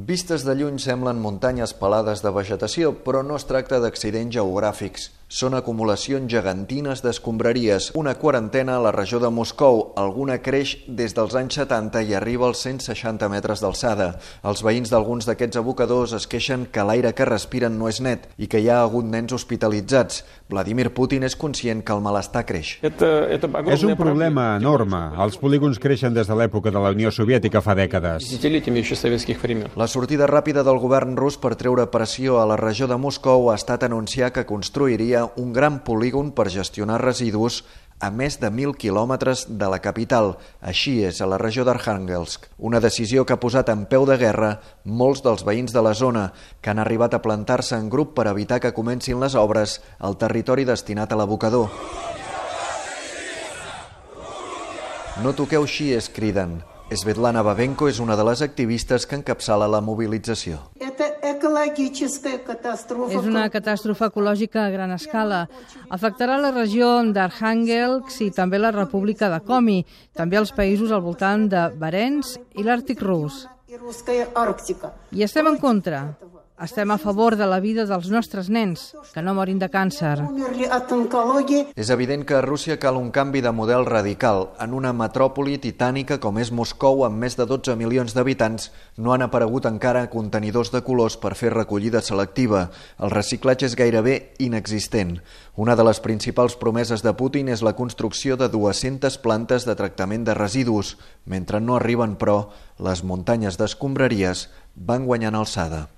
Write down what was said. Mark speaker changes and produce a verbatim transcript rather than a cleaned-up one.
Speaker 1: Vistes de lluny semblen muntanyes pelades de vegetació, però no es tracta d'accidents geogràfics. Són acumulacions gegantines d'escombraries, una quarantena a la regió de Moscou. Alguna creix des dels anys setanta i arriba als cent seixanta metres d'alçada. Els veïns d'alguns d'aquests abocadors es queixen que l'aire que respiren no és net i que hi ha hagut nens hospitalitzats. Vladimir Putin és conscient que el malestar creix.
Speaker 2: És un problema enorme. Els polígons creixen des de l'època de la Unió Soviètica fa dècades.
Speaker 1: La sortida ràpida del govern rus per treure pressió a la regió de Moscou ha estat anunciar que construiria un gran polígon per gestionar residus a més de mil quilòmetres de la capital. Així és, a la regió d'Arkhangelsk. Una decisió que ha posat en peu de guerra molts dels veïns de la zona, que han arribat a plantar-se en grup per evitar que comencin les obres al territori destinat a l'abocador. No toqueu així, es criden. Svetlana Babenko és una de les activistes que encapçala la mobilització.
Speaker 3: És una catàstrofe ecològica a gran escala. Afectarà la regió d'Arkhangelsk i també la República de Komi, també els països al voltant de Barents i l'Àrtic rus. I estem en contra. Estem a favor de la vida dels nostres nens, que no morin de càncer.
Speaker 1: És evident que a Rússia cal un canvi de model radical. En una metròpoli titànica com és Moscou, amb més de dotze milions d'habitants, no han aparegut encara contenidors de colors per fer recollida selectiva. El reciclatge és gairebé inexistent. Una de les principals promeses de Putin és la construcció de dues-centes plantes de tractament de residus. Mentre no arriben, però, les muntanyes d'escombraries van guanyant alçada.